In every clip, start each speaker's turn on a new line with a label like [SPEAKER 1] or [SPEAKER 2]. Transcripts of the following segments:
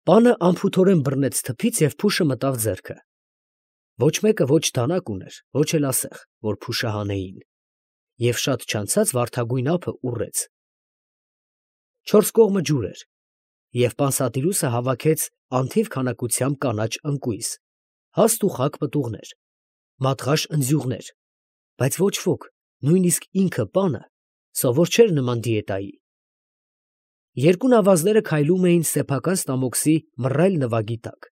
[SPEAKER 1] Պանը անփութորեն բռնեց թփից և փուշը մտավ ձեռքը։ Ոչ մեկը ոչ դանակ ուներ, ոչ էլ ասեղ, որ փուշը հանեին, և շատ չանցած վարդագույն ափը ուռեց։ Չորս կողմը ջուր էր, և պանսատիրուսը հավաքեց անթիվ քանակությամբ կանաչ ընկույզ, հաստ ու խաք պտուղներ, մատղաշ ընձյուղներ, բայց ոչ ոք, նույնիսկ ինքը պանը, սովոր չէր նման դիետայի։ Երկու նավազները քայլում էին սեփական ստամոքսի մռայլ նվագի տակ,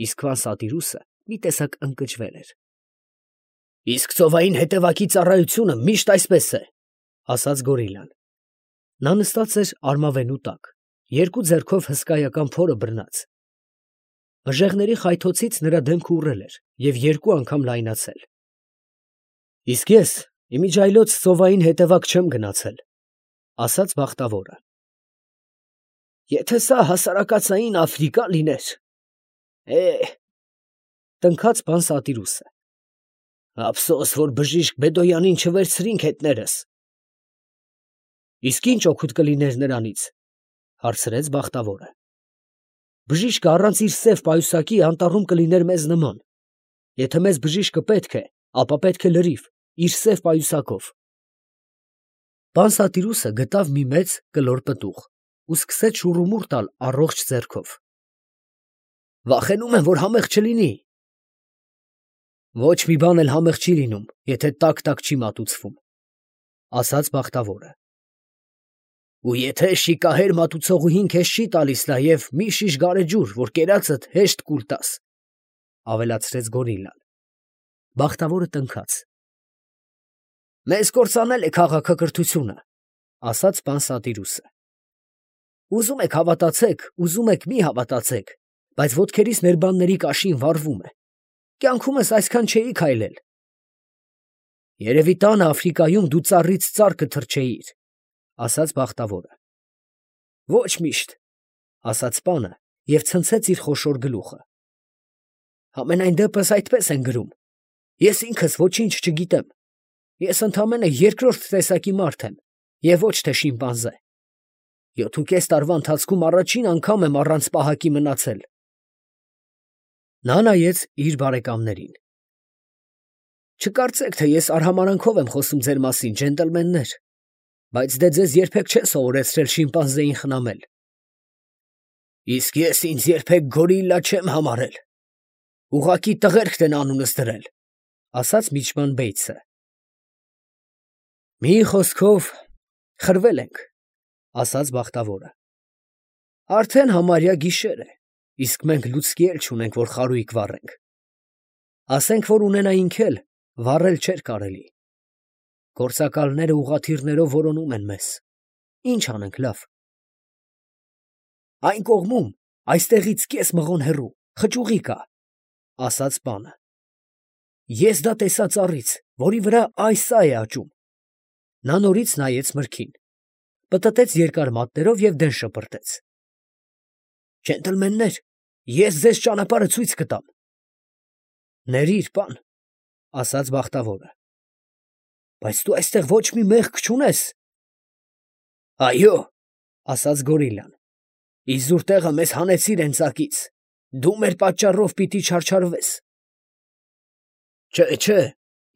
[SPEAKER 1] իսկ պանսատիրուսը մի տեսակ ընկճվել էր։ ֊ Իսկ ծովային հետևակի ծառայությունը միշտ այսպես է, ֊ ասաց գորիլան։ Նա նստած էր արմավենու տակ, երկու ձեռքով հսկայական փորը բռնած։ Մժեղների խայթոցից նրա դեմքը ուռել էր և երկու անգամ լայնացել։ ֊ Իսկ ես իմիջիայլոց ծովային հետևակ չեմ գնացել, ֊ ասաց բախտավորը։ Եթե սա հասարակածային Աֆրիկա լիներ… տնքաց պանսատիրուսը։ Ափսոս, որ բժիշկ Բեդոյանին չվերցրինք հետներս։ Իսկ ի՞նչ օգուտ կլիներ նրանից, ֊ հարցրեց բախտավորը։ Բժիշկը առանց իր սև պայուսակի անտառում կլիներ մեզ նման. եթե մեզ բժիշկը պետք է, ապա պետք է լրիվ, իր սև պայուսակով։ Պանսատիրուսը գտավ մի մեծ կլոր պտուղ ու սկսեց շուռումուռ տալ առողջ ձեռքով։ Վախենում եմ, որ համեղ չլինի։ Ոչ մի բան էլ համեղ չի լինում, եթե տաք չի մատուցվում, ֊ ասաց բախտավորը։ Ու եթե շիկահեր մատուցողուհին քեզ չի տալիս նաև մի շիշ գարեջուր, որ կերածդ հեշտ կուլ տաս, ֊ ավելացրեց գորիլան։ Բախտավորը տնքաց։ Մեզ կործանել է քաղաքակրթությունը, ֊ ասաց պանսատիրուսը։ Ուզում եք հավատացեք, ուզում եք մի հավատացեք, բայց ոտքերիս ներբանների կաշին վառվում է։ Կյանքումս այսքան չէի քայլել։ Երևի տանը Աֆրիկայում դու ծառից ծառ կթռչեիր, ֊ ասաց բախտավորը։ Ոչ միշտ, ֊ ասաց պանը և ցնցեց իր խոշոր գլուխը։ Համենայն դեպս այդպես են գրում։ Ես ինքս ոչինչ չգիտեմ։ Ես ընդամենը երկրորդ տեսակի մարդ եմ և ոչ թե շիմպանզե։ 7.5 տարվա ընթացքում առաջին անգամ եմ առանց պահակի մնացել։ Նա նայեց իր բարեկամներին։ Չկարծեք, թե ես արհամարանքով եմ խոսում ձեր մասին, ջենտլմեններ, բայց դե ձեզ երբեք չեն սովորեցրել շիմպանզեին խնամել։ Իսկ ես ինձ երբեք գորիլլա չեմ համարել։ Ուղղակի տղերքն են անունս դրել, ֊ ասաց միջման Բեյցը։ Մի խոսքով խրվել ենք, ֊ ասաց բախտավորը։ Արդեն համարյա գիշեր է, իսկ մենք լուցկի էլ չունենք, որ խարույկ վառենք։ Ասենք, որ ունենայինք էլ, վառել չէր կարելի։ Գործակալները ուղղաթիռներով որոնում են մեզ։ Ինչ անենք լավ։ Այն կողմում, այստեղից կես մղոն հեռու, խճուղի կա, ֊ ասաց պանը։ Ես դա տեսա ծառից, որի վրա սա է աճում։ Նա նորից նայեց մրգին, պտտեց երկար մատներով և դեն շպրտեց։ Ջենտլմեններ, ես ձեզ ճանապարհը ցույց կտամ։ Ներիր, պան, ֊ ասաց բախտավորը։ Բայց դու այստեղ ոչ մի մեղք չունես։ Այո, ֊ ասաց գորիլան։ Իզուր տեղը մեզ հանեցիր հենց, դու մեր պատճառով պիտի չարչարվես։ Չէ,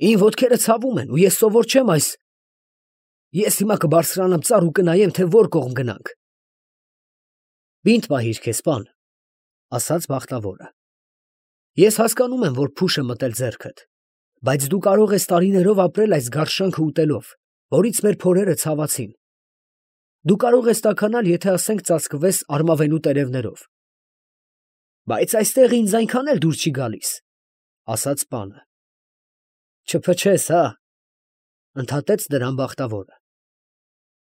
[SPEAKER 1] իմ ոտքերը ցավում են ու ես սովոր չեմ այս… Ես հիմա կբարձրանամ ծառ ու կնայեմ, թե որ կողմ գնանք։ Բինտ պահիր քեզ, պան, ֊ ասաց բախտավորը։ Ես հասկանում եմ, որ փուշ է մտել ձեռքդ, բայց դու կարող ես տարիներով ապրել այս գարշանքը ուտելով, որից մեր փորերը ցավացին։ Դու կարող ես տաքանալ, եթե ասենք ծածկվես արմավենու տերևներով։ Բայց այստեղ ինձ այնքան էլ դուր չի գալիս, ֊ ասաց պանը։ Չփչես, հա, ֊ ընդհատեց դրան բախտավորը։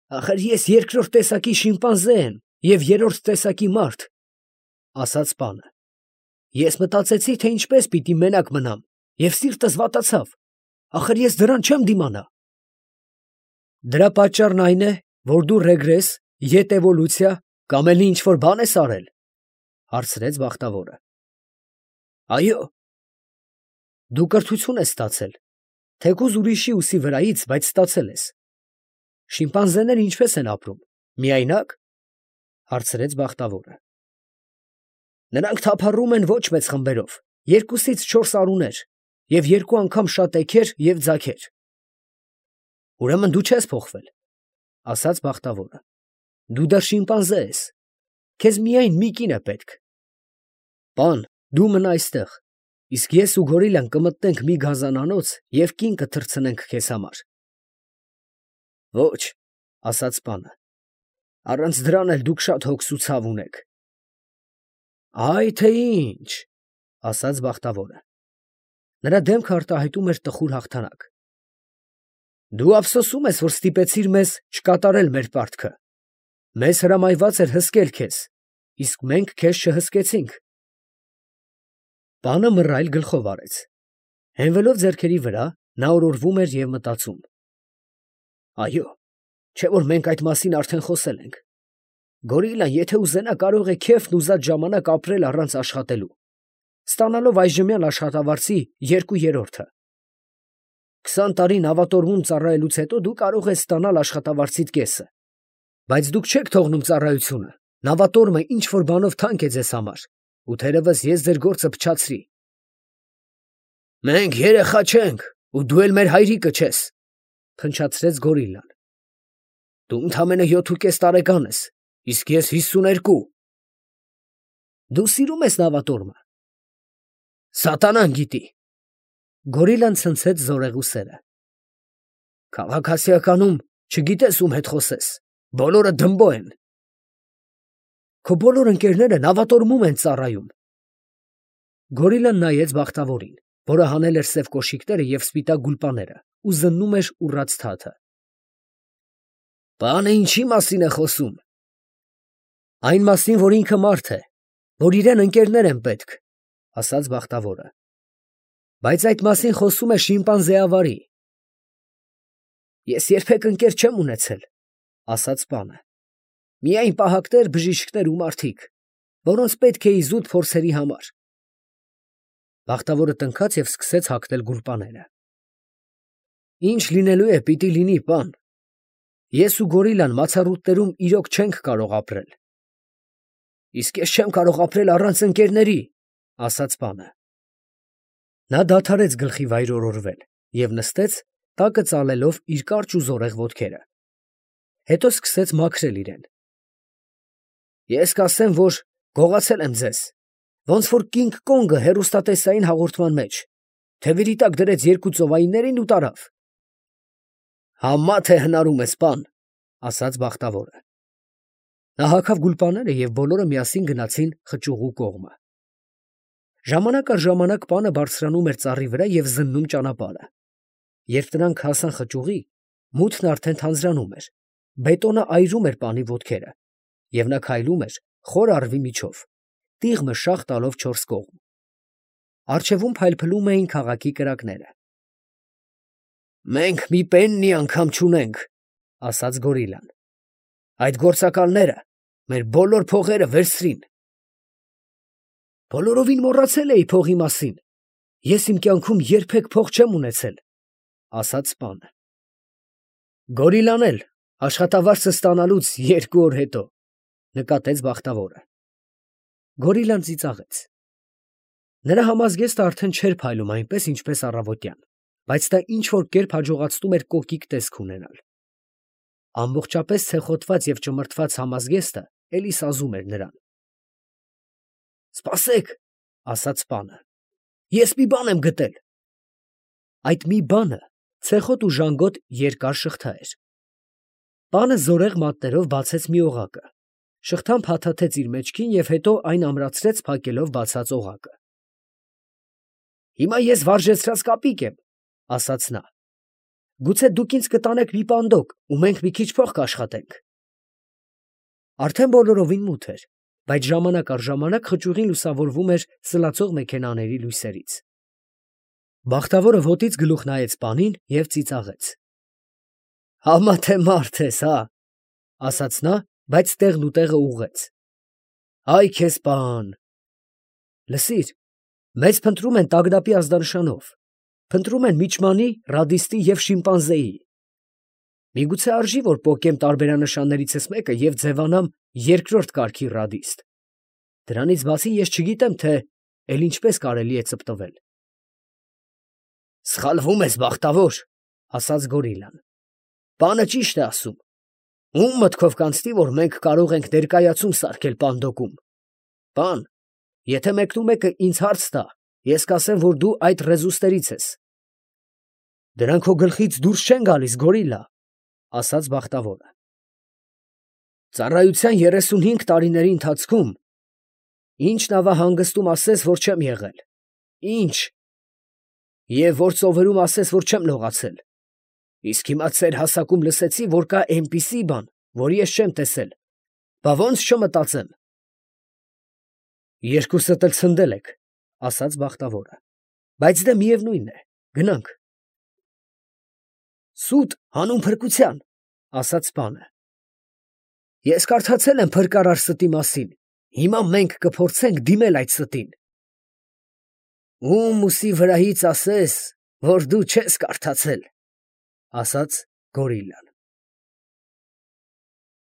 [SPEAKER 1] Ախր ես երկրորդ տեսակի շիմպանզե եմ և երրորդ տեսակի մարդ, ֊ ասաց պանը։ Ես մտածեցի, թե ինչպես պիտի մենակ մնամ, և սիրտս վատացավ, ախր ես դրան չեմ դիմանա։ Դրա պատճառն այն է, որ դու ռեգրես, ետևոլյուցիա կամ էլ ինչ֊որ բան ես արել, ֊ հարցրեց բախտավորը։ Այո։ Դու կրթություն ես ստացել, թեկուզ ուրիշի ուսի վրայից, բայց ստացել ես։ Շիմպանզեները ինչպես են ապրում, միայնա՞կ, ֊ հարցրեց բախտավորը։ Նրանք թափառում են ոչ մեծ խմբերով, 2-ից 4 արուներ, և 2 անգամ շատ էգեր և ձագեր։ Ուրեմն դու չես փոխվել, ասաց բախտավորը. դու դեռ շիմպանզե ես, քեզ միայն մի կին է պետք։ Պան, դու մնա այստեղ, իսկ ես ու գորիլան կմտնենք մի գազանանոց և կին կթռցնենք քեզ համար։ Ոչ, ասաց պանը, առանց դրան էլ դուք շատ հոգս ու ցավ ունեք։ Այ թե ինչ, ասաց բախտավորը։ Նրա դեմքը արտահայտում էր տխուր հաղթանակ։ Դու ափսոսում ես, որ ստիպեցիր մեզ չկատարել մեր պարտքը։ Մեզ հրամայված էր հսկել քեզ, իսկ մենք քեզ չհսկեցինք։ Պանը մռայլ գլխով արեց։ Հենվելով ձեռքերի վրա, նա օրորվում էր և մտածում. Այո, չէ՞ որ մենք այդ մասին արդեն խոսել ենք։ Գորիլան, եթե ուզենա, կարող է քեֆն ուզած ժամանակ ապրել առանց աշխատելու, ստանալով այժմյան աշխատավարձի 2/3։ 20 տարի նավատորմում ծառայելուց հետո դու կարող ես ստանալ աշխատավարձիդ կեսը։ Բայց դուք չեք թողնում ծառայությունը, նավատորմը ինչ որ բանով թանկ է ձեզ համար, ու թերևս ես ձեր գործը փչացրի։ Մենք երեխա չենք, ու դու էլ մեր հայրիկը չես, փնչացրեց գորիլան։ Դու ընդամենը 7.5 տարեկան ես, իսկ ես 52։ Դու սիրում ես նավատորմը։ Սատանան գիտի։ Գորիլան ցնցեց զորեղուսերը։ Քաղաքասիականում չգիտես ում հետ խոսես, բոլորը դմբո են։ Քո բոլոր ընկերները նավատորմում են ծառայում։ Գորիլան նայեց բախտավորին, որը հանել էր սև կոշիկները և սպիտակ գուլպաները ու զննում էր ուռած թաթը։ Պանը ինչի մասին է խոսում։ Այն մասին, որ ինքը մարդ է, որ իրեն ընկերներ են պետք, ասաց բախտավորը։ Բայց այդ մասին խոսում է շիմպանզեավարի։ Ես երբեք ընկեր չեմ ունեցել, ասաց պանը։ Միայն պահակներ, բժիշկներ ու մարդիկ, որոնց պետք է իզուտ փորձերի համար։ Բախտավորը տնքաց և սկսեց հագնել գուլպաները։ Ինչ լինելու է, պիտի լինի, պան։ Ես ու գորիլան մացառուտներում իրոք չենք կարող ապրել։ Իսկ ես չեմ կարող ապրել առանց ընկերների, ասաց պանը։ Նա դադարեց գլխի վայր օրորվել և նստեց, տակը ծալելով իր կարճ ու զորեղ ոտքերը։ Հետո սկսեց մաքրել իրեն։ Ես կասեմ, որ գողացել եմ ձեզ, ոնց որ Կինգ Կոնգը հեռուստատեսային հաղորդման մեջ, թևերի տակ դրեց 2 ծովայիններին ու տարավ։ Համա թե հնարում ես, պան, ասաց բախտավորը։ Նա հագավ գուլպաները և բոլորը միասին գնացին խճուղու կողմը։ Ժամանակ առ ժամանակ պանը բարձրանում էր ծառի վրա և զննում ճանապարհը։ Երբ նրանք հասան խճուղի, մութն արդեն թանձրանում էր, բետոնը այրում էր պանի ոտքերը, և նա քայլում էր խոր առվի միջով, տիղմը շաղ տալով 4 կողմ։ Առջևում փայլփլում էին քաղաքի կրակները։ Մենք մի պեննի անգամ չունենք, ասաց գորիլան։ Այդ գործակալները մեր բոլոր փողերը վերցրին։ Բոլորովին մոռացել էի փողի մասին։ Ես իմ կյանքում երբեք փող չեմ ունեցել, ասաց պանը։ Գորիլան էլ աշխատավարձը ստանալուց 2 օր հետո, նկատեց բախտավորը։ Գորիլան ծիծաղեց։ Նրա համազգեստը արդեն չէր փայլում այնպես, ինչպես առավոտյան, բայց դա ինչ-որ կերպ հաջողացնում էր կոկիկ տեսք ունենալ։ Ամբողջապես ցեխոտված և ճմրթված համազգեստը էլի սազում էր նրան։ Սպասեք, ասաց պանը, ես մի բան եմ գտել։ Այդ մի բանը ցեխոտ ու ժանգոտ երկար շղթա էր։ Պանը զորեղ մատներով բացեց մի օղակը, շղթան փաթաթեց իր մեջքին և հետո այն ամրացրեց փակելով բացած օղակը։ Հիմա ես վարժեցրած կապիկ եմ, ասաց նա։ Գուցե դուք ինձ կտանեք մի պանդոկ, ու մենք մի քիչ փող կաշխատենք։ Արդեն բոլորովին մութ էր, բայց ժամանակ առ ժամանակ խճուղին լուսավորվում էր սլացող մեքենաների լույսերից։ Բախտավորը ոտից գլուխ նայեց պանին և ծիծաղեց։ Համա թե մարդ ես, հա, ասաց նա, բայց տեղն ու տեղը ուղղեց։ Այ քեզ պան։ Լսիր, մեզ փնտրում են տագնապի ազդանշանով, փնտրում են միջմանի, ռադիստի և շիմպանզեի։ Միգուցե արժի, որ պոկեմ տարբերանշաններիցս մեկը և ձևանամ 2-րդ կարգի ռադիստ։ Դրանից բացի ես չգիտեմ, թե էլ ինչպես կարելի է ծպտվել։ Սխալվում ես, բախտավոր, ասաց գորիլան։ Պանը ճիշտ է ասում։ Ում մտքով կանցնի, որ մենք կարող ենք ներկայացում սարքել Պանդոկում։ Պան, եթե մեկնումեկը ինձ հարց տա, ես կասեմ, որ դու այդ ռեզուստերից ես։ Դրանք քո գլխից դուրս չեն գալիս, գորիլա, ասաց բախտավորը։ Ծառայության 35 տարիների ընթացքում ինչ նավահանգստում ասես, որ չեմ եղել, ինչ, և որ ծովերում ասես, որ չեմ լողացել, իսկ հիմա ծեր հասակում լսեցի, որ կա էնպիսի բան, որ ես չեմ տեսել, բա ո՞նց չմտածեմ։ Երկուսդ էլ ցնդել եք, ասաց բախտավորը, բայց դե միևնույն է, գնանք։ Սուտ հանուն փրկության, ասաց պանը։ Ես կարդացել եմ փրկարար ստի մասին, հիմա մենք կփորձենք դիմել այդ ստին։ Ում ուսի վրայից ասես, որ դու չես կարդացել, ասաց գորիլան։